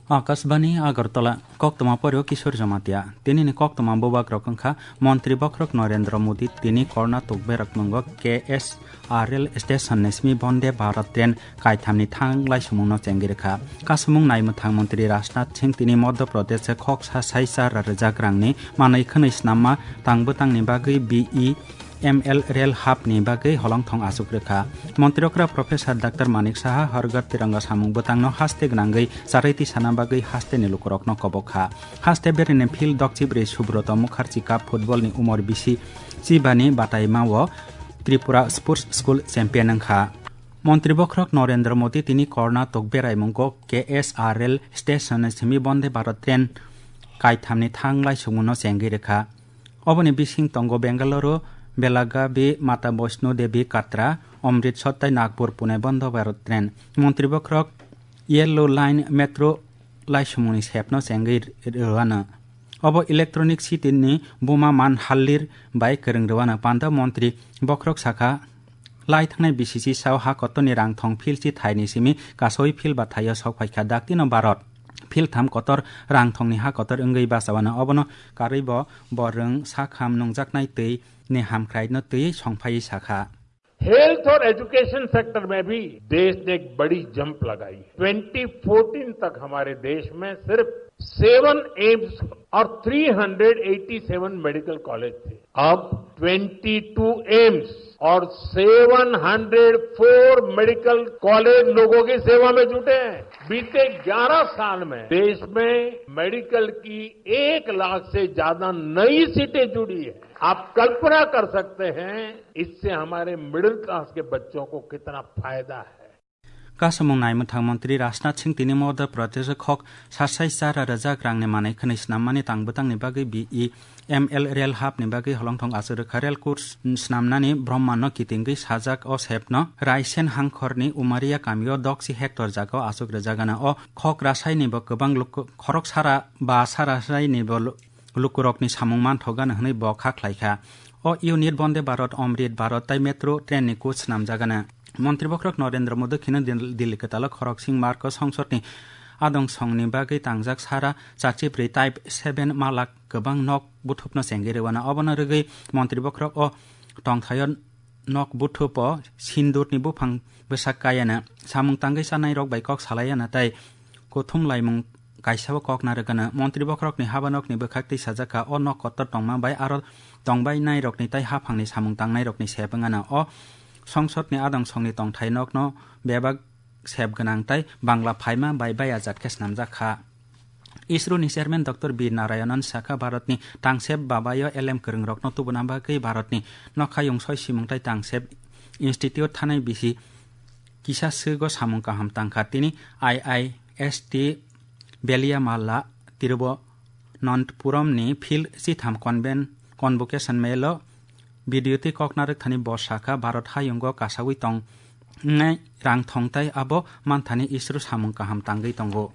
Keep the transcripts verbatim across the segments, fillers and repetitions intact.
Akashbani Agartala, koktwma porio Kishore Jamatia. Tinini koktwma bubagrok wngkha Montri Bokhorok Narendra Modi tini Korna Tokberak mungo K S R L station ni simi Bonde Bharat train kaithamni thang laisumungno chengwi rwkha. Kasumung naimwthang Montri Rajnath Singh tini Madhya Pradesh khok sa sai char rijak rangni manwi khwnwi snamma tang bwtangni bagwi B E M L rel hapni bagwi holongthong achuk rwkha. Montri okra Professor Doctor Manik Saha Har Ghar Tiranga samung bwtangno haste gwnangwi charwi tisana bagwi hasteni lukurokno kobok kha. Haste bereni field dokchibrwi Subroto Mukherjee Cup football ni umor bisi chibani bataimao Tripura Sports School champion wngkha. Montri Bokhorok Narendra Modi tini Korna Tokberai mungo K S R L station ni simi Bonde Bharat train kaithamni thang laisumungno chengwi rwkha. Oboni bising tongo Bengaluru, Belagavi, Mata Vaishno Devi Katra, Amritsar tei Nagpur Pune Bonde Bharat train. Montri Bokhorok Yellow Line Metro laisumungni sepno chengwi rwano. Obo electronic city ni buma man hallir bai kwrwng rwano. Panda Montri Bokhorok sakha, lai thangnai B C C sao ha kotorni rang thong philchi thaini simi kasoi phil ba thaio sok phaikha daktino Bharat. Phil tham kotor rang thongni ha kotor wngwi bachawano. Obono karwi bo borwng sakham nungjaknai twi ni hamkraino twi songphaiwi sakha. Health और education sector में भी देश ने एक बड़ी जंप लगाई। Twenty fourteen तक हमारे देश में सिर्फ सेवन एम्स और three hundred eighty seven medical college थे। अब ट्वेंटी टू एम्स और seven hundred four medical college लोगों की सेवा में जुटे हैं। बीते ग्यारह साल में देश में मेडिकल की एक लाख से ज्यादा नई सीटें जुड़ी है। आप कल्पना कर सकते हैं, इससे हमारे मिडिल क्लास के बच्चों को कितना फायदा है। Kasamung naimwthang Montri Rajnath Singh tini Madhya Pradesh khok sasai chara rwjak rangni manwi khwnwi snammani tang bwtangni bagwi B E M L rel hapni bagwi holongthong achuk rwkha. Rel course snamnani Brahmano kitingwi sajak o sepno Raisen hangkhorni Umaria kamio doksi hectare jagao achuk rwjagana. O khok rasaini bo kwbang luk-, khorok sara ba sara saini bo lu-, lukurokni samung manthokgana hwnwi bo kha khlaikha. O unit Bonde Bharat, Amrit Bharat tei Metro train ni coach snamjagana. Montri Bokhorok Narendra Modi kheno Dil-, Delhi kwtalo khoroksing Marco songsodni adong songni bagwi tangjak sara chachibrwi Type seven malak kwbang nok buthupno chengwi rwano. Obono rwgwi Montri Bokhorok o tongthaio nok buthupo sindurni buphang bwsak kayana samung tangwi chanai rok bai kok salaiyana tei kuthum laimung kaisa o kok narwkano. Montri Bokhorokni habanokni bwkhak twi sajakha, o nok kotor tongma bai aro tongbainairokni tei haphangni samung tangnairokni sep wngano. O songsodni adong songni tongthai nokno bebak sep gwnang tei bangla phaima bai bayajat khe snamjak kha. ISRO ni chairman Doctor V Narayanan sakha, Bharatni tangsep babayo elem kwrwngrokno tubuna bagwi Bharatni nokhayung soi simung tei tangsep institute thanai bisi kisa swgo samung kaham tangkha. Tini I I S T Veliamala, Tiruvananthapuramni field chitham conven-, convocation mailo video twi kok narwkthani bo sakha, Bharat hayungo kasawi tongnai rang thong tei abo manthani ISRO samung kaham tangwi tongo.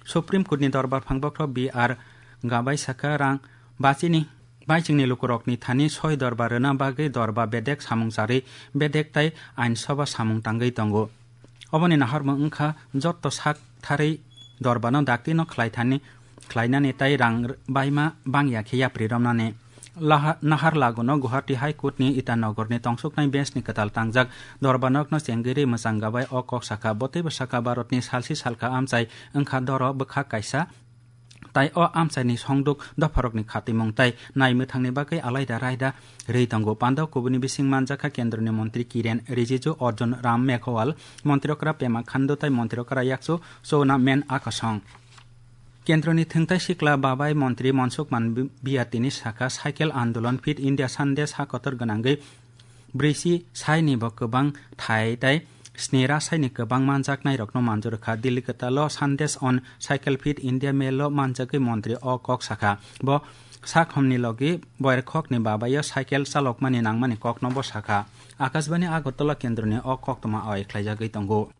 Supreme Court ni dorbar phang bokhorok B R Gabai sakha, rang bachini baichingni lukurokni thani soi dorba rwna bagwi dorba bedek samung charwi bedek tei ain soba samung tangwi tongo. Oboni naharmung wngkha jotto sak tharwi dorbano daktino khlai thani, khlainani tei rang r-, baima bangya khe yapri romnani. Laha-, Naharlaguno Guwahati High Court ni Itanagar ni tongsuknai bench ni kwtal tangjak dorbanokno chengwi rwi mwchang gabai o kok sakha. Bo teibo sakha, Bharat ni salsi salka amchai wngkha doro bwkhak kaisa. Tai o amchaini songduk dopharokni khatimung tai naimwthangni bagwi alaida raida rwi tongo. Pandao kubuni bising manjakha kendroni montri Kiren Rijiju, Arjun Ram Meghwal, montri okra Pema Khandu tai montri okra Yakchu Chowna Men Akasong. Kendroni thwngtai sikla babai montri Mansukh Manbiya tini sakha, cycle andolon Fit India Sandesh ha kotor gwnangwi brisi saini bo kwbang thai tai snira saini kwbang manjaknairokno manjurkha. Delhi kwtalo Sandesh on Cycle Fit India Mail o manjagwi montri o kok sakha. Bo sakhomni logi boyarkhokni babaio cycle chalokmani nangmani kokno bo sakha. Akashbani Agartala kendroni o koktwma awai khlaijagwi tongo.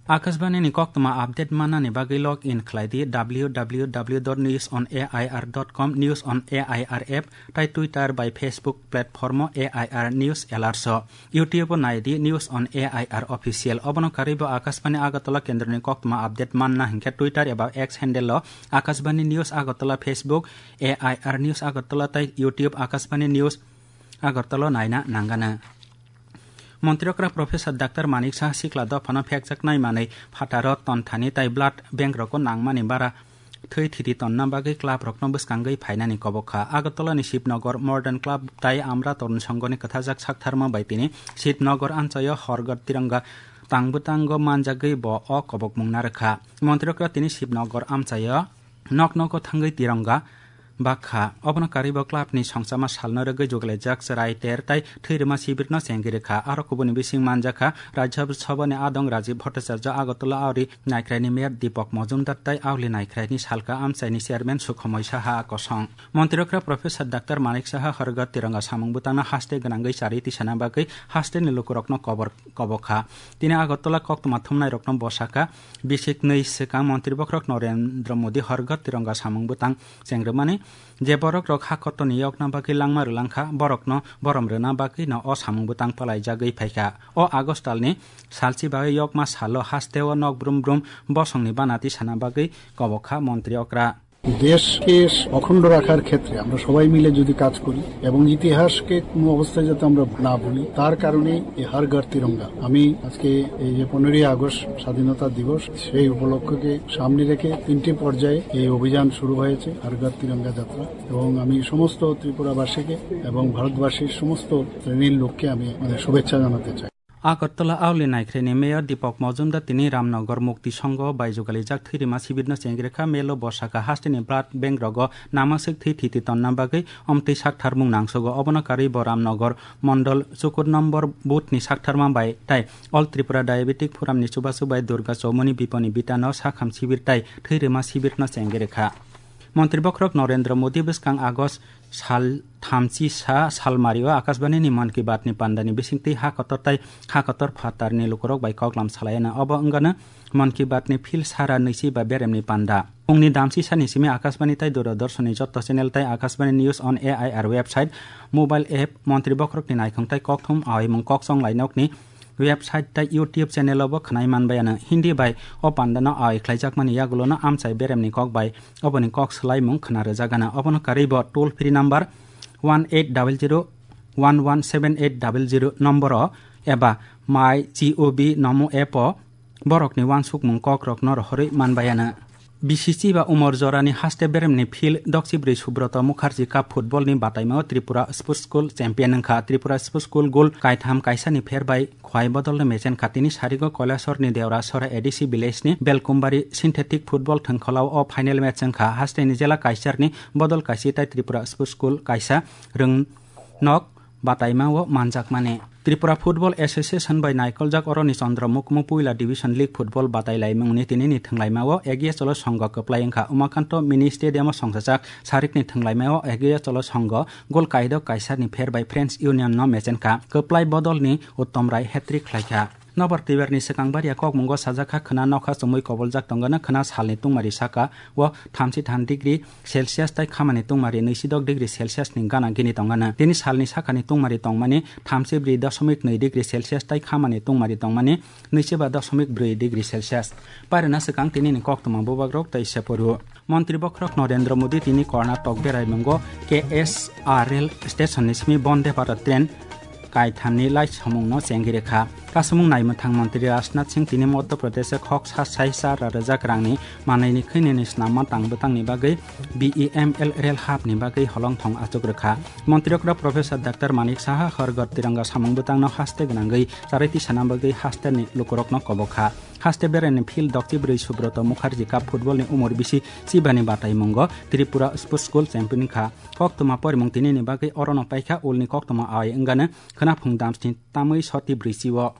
Akashbani ni koktwma update mannani bagwi log in khlai di W W W dot news on A I R dot com, News on A I R app, tai Twitter bai Facebook platform o A I R News Alerts o. YouTube o nai di News on A I R Official. Obono karwi bo Akashbani Agartala kendroni koktwma update manna hinkhe Twitter eba X handle o Akashbani News Agartala, Facebook A I R News Agartala tai YouTube Akashbani News Agartala naina nangana. Montri okra Professor Doctor Manik Saha sikla dophano phekjaknai manwi phataro tonthani tai blood bank rogo nangmani bara thwi thiti tonna bagwi club rokno bwskangwi phainani kobok kha. Agartala ni Shivnagar Modern Club tai Amra Tarun Sangho ni kwthajak saktharma bai tini Shivnagar amchaio Har Ghar Tiranga tang bwtango manjagwi bo o kobokmung narwkha. Montri okra tini Shivnagar amchaio nok nogo thangwi tiranga bakha. Obono karwi bo club ni songchama salno rwgwi jugalaijak chwrai ter tai thwirima sibirno chengwi rwkha. Aro kubuni bising manjakha Rajya Sabha ni adong Rajiv Bhattacharya, Agartala aori naikhraini mayor Deepak Majumdar tai aoli naikhraini salka amchaini chairman Sukhomoi Saha kosong. Montri okra Professor Doctor Manik Saha Har Ghar Tiranga samung bwtangno haste gwnangwi charwi tisana bagwi haste ni lukurokno kobor kobok kha. Tini Agartala koktwma thumnairokno bosaka bisik nwi swkang Montri bokhorok Narendra Modi Har Ghar Tiranga samung bwtang chengrwmani je borok rok ha kotorni yokna bagwi langma rwlangkha, borokno borom rwna bagwi no o samung bwtang palaijagwi phaikha. O August talni salchi bagwi yokma salo hasteo nok brum brum bosongni bana tisana bagwi kobok kha Montri okra. দেশকে অখণ্ড রাখার ক্ষেত্রে আমরা সবাই মিলে যদি কাজ করি এবং ইতিহাসকে কোনো অবস্থায় যাতে আমরা না ভুলি, তার কারণেই এই হর ঘর তিরঙ্গা। আমি আজকে এই যে পনেরোই আগস্ট স্বাধীনতা দিবস, সেই উপলক্ষকে সামনে রেখে তিনটি পর্যায়ে এই অভিযান শুরু হয়েছে, হর ঘর তিরঙ্গা যাত্রা। এবং আমি সমস্ত ত্রিপুরাবাসীকে এবং ভারতবাসীর সমস্ত শ্রেণীর লোককে আমি, মানে, শুভেচ্ছা জানাতে চাই। Agartala aoli naikhraini mayor Deepak Majumdar tini Ramnagar Mukti Sangho bai jugalaijak thwirima sibirno chengwi rwkha. Melo bosaka hasteni blood bank rogo namaswk thwi thiti tonna bagwi omtwi saktharmung nangsugo. Obono karwi bo Ramnagar Mondol chukur nombor booth ni saktharma bai tai All Tripura Diabetic Forum ni chubachu bai Durga Chowmoni Biponi Bitano sakham sibir tai thwirima sibirno chengwi rwkha. Montri bokhorok Narendra Modi bwskang August sal thamchi sa salmario Akashbani ni Mann Ki Baat ni panda ni bisingtwi ha kotor tai ha kotor phatar ni lukurok bai koklam salayana. Obo wngano Mann Ki Baat ni phil sara nwichi ba berem ni panda. Phungni damchi sani simi Akashbani tai Doordarshan ni jotto channel tai Akashbani News on A I R website, mobile app, Montri bokhorok ni naikhong tai kokthum aoimung kok chong lainok ni website tai YouTube channel o bo khwnai manbai ano. Hindi bai o panda no aoi khlaijakmani yagulo no amchai berem ni kok bai oboni kok swlaimung khwna rwjagana. Obono karwi bo toll free number one eight double zero one one seven eight double zero number o eba My G O V Namo app o borokni uansukmung kokrokno rohorwi manbaiano. B C C ba umor jorani haste beremni field dokchibrwi Subroto Mukherjee Cup football ni bataimao Tripura Sports School champion wngkha. Tripura Sports School goal kaitham kaisani pher bai khwai bodolno mechen kha. Tini sarigo Kailasor ni Deorasora A D C village ni Belkumbari synthetic football thwngkholao o final match wngkha. Haste ni jela kaisar ni bodol kaisi tai Tripura Sports School kaisa rwng nok bataima o manjakmani. Tripura Football Association bai naikoljak oroni Chandra Mukmu Puila Division League Football batai laimungni tinini thwnglaima o Egiya Cholo Songho kwplai wngkha. Umakanto Mini Stadium o songchajak sarikni thwnglaima o Egiya Cholo Songho gol kaidok kaisani pher bai Friends Union no mechen kha. Kwplai bodolni Uttom Rai hat-trick khlaikha. Nobar twibarni swkang baria kokmungo sajak kha khwna nokha chumui koboljak tongano khwna salni tungmari saka o thamchi tham degree Celsius tai khamani tungmari nwisidok degree Celsius ni gana gini tongana. Tini salni sakani tungmari tongmani thamchi bri dosomik nwi degree Celsius tai khamani tungmari tongmani nwichiba dosomik bri degree Celsius. Pairwna swkang tinini koktwma bubagrok tei seporu. Montri bokhorok Narendra Modi tini Karnataka beraimungo K S R L station ni simi Vande Bharat train kaithamni lai samungno chengwi rwkha. Kasamung naimwthang montri Rajnath Singh tini Madhya Pradesh o khok sa sai char rajak rangni manwini khwinini snamma tang bwtangni bagwi B E M L rel hapni bagwi holongthong achuk rwkha. Montri okra Professor Doctor Manik Saha Har Ghar Tiranga samung bwtangno haste gwnangwi charwi tisana bagwi hasteni lukurokno kobok kha. Haste berani field dokchibrwi Subroto Mukherjee Cup football ni umor bisi chibani bataimungo Tripura Sports School champion kha. Koktwma porimung tinini bagwi orono paikha ulni koktwma aoi wngano khwnaphung damsni tamwi soti brwichi o.